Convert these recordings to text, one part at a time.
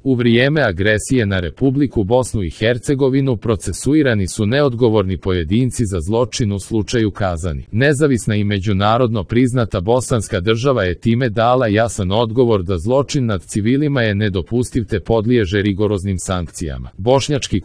U vrijeme agresije na Republiku Bosnu i Hercegovinu procesuirani su neodgovorni pojedinci za zločin u slučaju Kazani. Nezavisna i međunarodno priznata bosanska država je time dala jasan odgovor da zločin nad civilima je nedopustiv te podliježe rigoroznim sankcijama. Bošnjački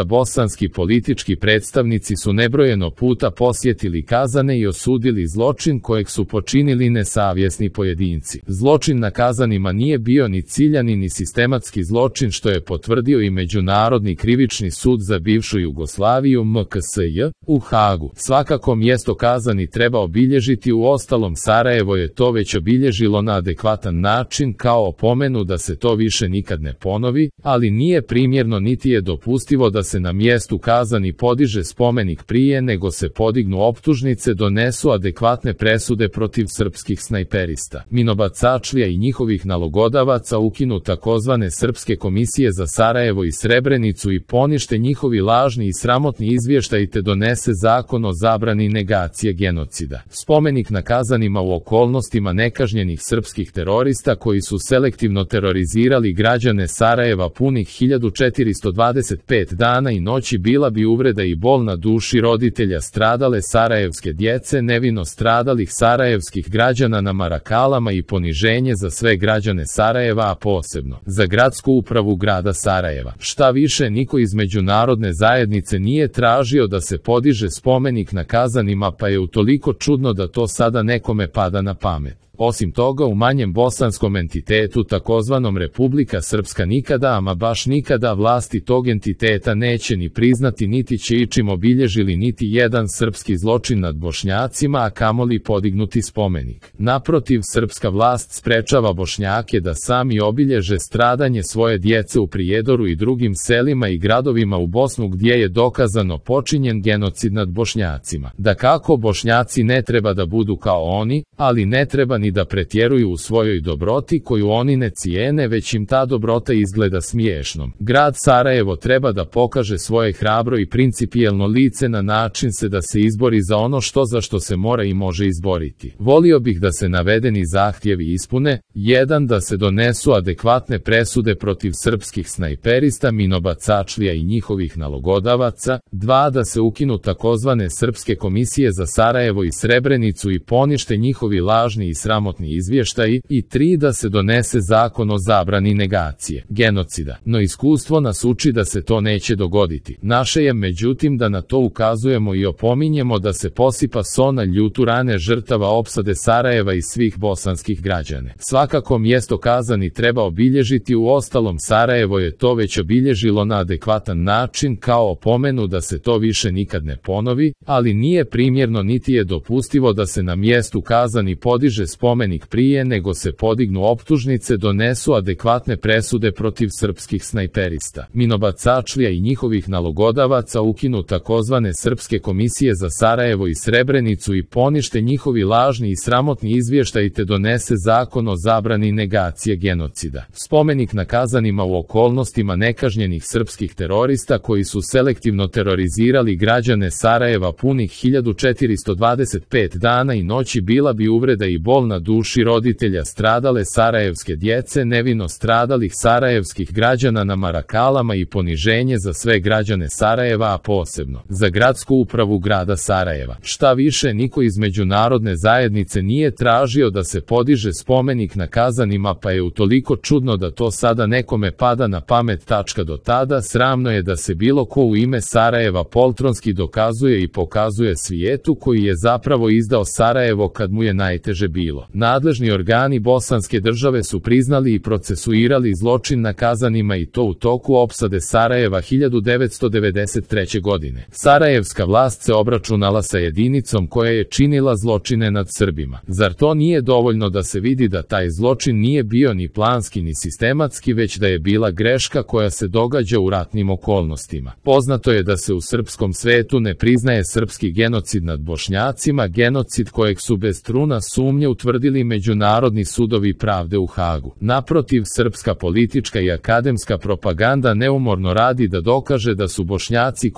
bosanski politički predstavnici su nebrojeno puta posjetili Kazane i osudili zločin kojeg su počinili nesavjesni pojedinci. Zločin na Kazanima nije bio ni ciljani ni sistematski zločin, što je potvrdio i Međunarodni krivični sud za bivšu Jugoslaviju MKSJ u Hagu. Svakako mjesto Kazani treba obilježiti, uostalom Sarajevo je to već obilježilo na adekvatan način kao opomenu da se to više nikad ne ponovi, ali nije primjerno niti je dopustivo da se na mjestu Kazani podiže spomenik prije nego se podignu optužnice, donesu adekvatne presude protiv srpskih snajperista, minobacačlija i njihovih nalogodavaca, ukinu takozvane Srpske komisije za Sarajevo i Srebrenicu i ponište njihovi lažni i sramotni izvještaji te donese zakon o zabrani negacije genocida. Spomenik na Kazanima u okolnostima nekažnjenih srpskih terorista koji su selektivno terorizirali građane Sarajeva punih 1425 dana i noći bila bi uvreda i bol na duši roditelja stradale sarajevske djece, nevino stradalih sarajevskih građana na Marakalama i poniženje za sve građane Sarajeva, a posebno za gradsku upravu grada Sarajeva. Šta više, niko iz međunarodne zajednice nije tražio da se podiže spomenik na Kazanima, pa je utoliko čudno da to sada nekome pada na pamet. Osim toga, u manjem bosanskom entitetu, takozvanom Republika Srpska, nikada, ama baš nikada, vlasti tog entiteta neće ni priznati niti će ičim obilježili niti jedan srpski zločin nad Bošnjacima, a kamoli podignuti spomenik. Naprotiv, srpska vlast sprečava Bošnjake da sami obilježe stradanje svoje djece u Prijedoru i drugim selima i gradovima u Bosnu gdje je dokazano počinjen genocid nad Bošnjacima. Dakako, Bošnjaci ne treba da budu kao oni, ali ne treba ni da pretjeruju u svojoj dobroti koju oni ne cijene, već im ta dobrota izgleda smiješnom. Grad Sarajevo treba da pokaže svoje hrabro i principijelno lice na način se da se izbori za ono za što se mora i može izboriti. Volio bih da se navedeni zahtjevi ispune: 1. Da se donesu adekvatne presude protiv srpskih snajperista, minobacačlija i njihovih nalogodavaca, 2. Da se ukinu takozvane Srpske komisije za Sarajevo i Srebrenicu i ponište njihovi lažni i sramotni izvještaji, i 3. Da se donese zakon o zabrani negacije genocida. No iskustvo nas uči da se to neće dogoditi. Naše je međutim da na to ukazujemo i opominjemo, da se posipa so na ljutu rane žrtava opsade Sarajeva i svih bosanskih građana. Svakako mjesto Kazani treba obilježiti, uostalom Sarajevo je to već obilježilo na adekvatan način kao opomenu da se to više nikad ne ponovi, ali nije primjerno niti je dopustivo da se na mjestu Kazani podiže spomenik prije nego se podignu optužnice, donesu adekvatne presude protiv srpskih snajperista, minobacačlija i njihovih nalogodavaca, ukinu takozvane Srpske komisije za Sarajevo i Srebrenicu i ponište njihovi lažni i sramotni izvještaji te donese zakon o zabrani negacije genocida. Spomenik na Kazanima u okolnostima nekažnjenih srpskih terorista koji su selektivno terorizirali građane Sarajeva punih 1425 dana i noći bila bi uvreda i bol na duši roditelja stradale sarajevske djece, nevino stradalih sarajevskih građana na Marakalama i poniženje za sve građane Sarajeva, a posebno za gradsku upravu grada Sarajeva. Šta više, niko iz međunarodne zajednice nije tražio da se podiže spomenik na Kazanima, pa je utoliko čudno da to sada nekome pada na pamet. Do tada sramno je da se bilo ko u ime Sarajeva poltronski dokazuje i pokazuje svijetu koji je zapravo izdao Sarajevo kad mu je najteže bilo. Nadležni organi bosanske države su priznali i procesuirali zločin na Kazanima, i to u toku opsade Sarajeva 1993. godine. Sarajevska vlast se obračunala sa jedinicom koja je činila zločine nad Srbima. Zar to nije dovoljno da se vidi da taj zločin nije bio ni planski ni sistematski, već da je bila greška koja se događa u ratnim okolnostima? Poznato je da se u srpskom svetu ne priznaje srpski genocid nad Bošnjacima, genocid kojeg su bez truna sumnje utvrdili potvrdili međunarodni sudovi pravde u Hagu. Naprotiv, srpska politička i akademska propaganda neumorno radi da dokaže da su Bošnjaci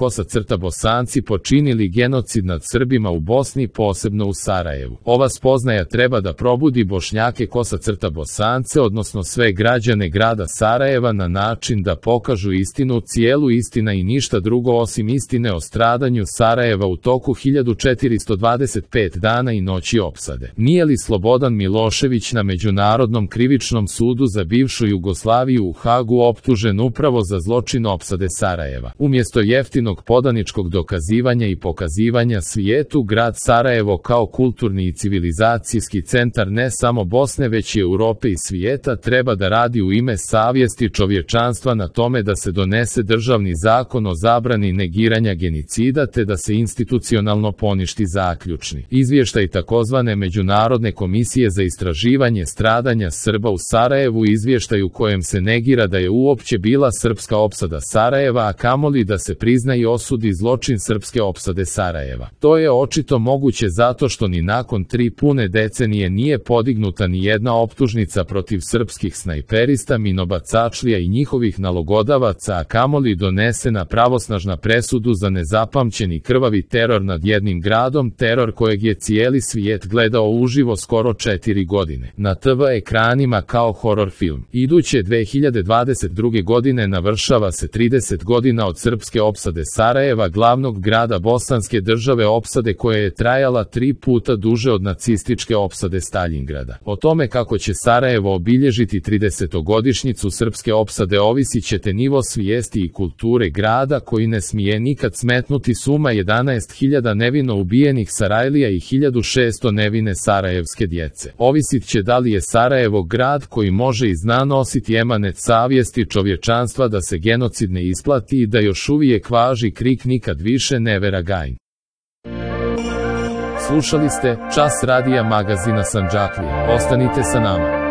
Bosanci počinili genocid nad Srbima u Bosni, posebno u Sarajevu. Ova spoznaja treba da probudi Bošnjake Bosance, odnosno sve građane grada Sarajeva, na način da pokažu istinu, cijelu istina i ništa drugo osim istine o stradanju Sarajeva u toku 1425 dana i noći opsade. Nije li Slobodan Milošević na Međunarodnom krivičnom sudu za bivšu Jugoslaviju u Hagu optužen upravo za zločin opsade Sarajeva? Umjesto jeftinog podaničkog dokazivanja i pokazivanja svijetu, grad Sarajevo kao kulturni i civilizacijski centar ne samo Bosne već i Europe i svijeta treba da radi u ime savjesti čovječanstva na tome da se donese državni zakon o zabrani negiranja genocida te da se institucionalno poništi zaključni izvještaj takozvane Međunarodne komisije za istraživanje stradanja Srba u Sarajevu, izvještaj u kojem se negira da je uopće bila srpska opsada Sarajeva, a kamoli da se prizna i osudi zločin srpske opsade Sarajeva. To je očito moguće zato što ni nakon 3 pune decenije nije podignuta ni jedna optužnica protiv srpskih snajperista, minobacačlija i njihovih nalogodavaca, a kamoli donesena pravosnažna presudu za nezapamćeni krvavi teror nad jednim gradom, teror kojeg je cijeli svijet gledao uživo skoro 4 godine na TV ekranima kao horor film. Iduće 2022. godine navršava se 30 godina od srpske opsade Sarajeva, glavnog grada Bosanske države, opsade koja je trajala 3 puta duže od nacističke opsade Staljingrada. O tome kako će Sarajevo obilježiti 30-godišnjicu srpske opsade ovisit ćete nivo svijesti i kulture grada, koji ne smije nikad smetnuti suma 11.000 nevino ubijenih Sarajlija i 1600 nevine sarajevske djece. Ovisit će da li je Sarajevo grad koji može i zna nositi emanet savjesti čovječanstva da se genocid ne isplati i da još uvijek važi krik nikad više never again. Slušali ste Čas radija magazina Sandžaklija. Ostanite sa nama.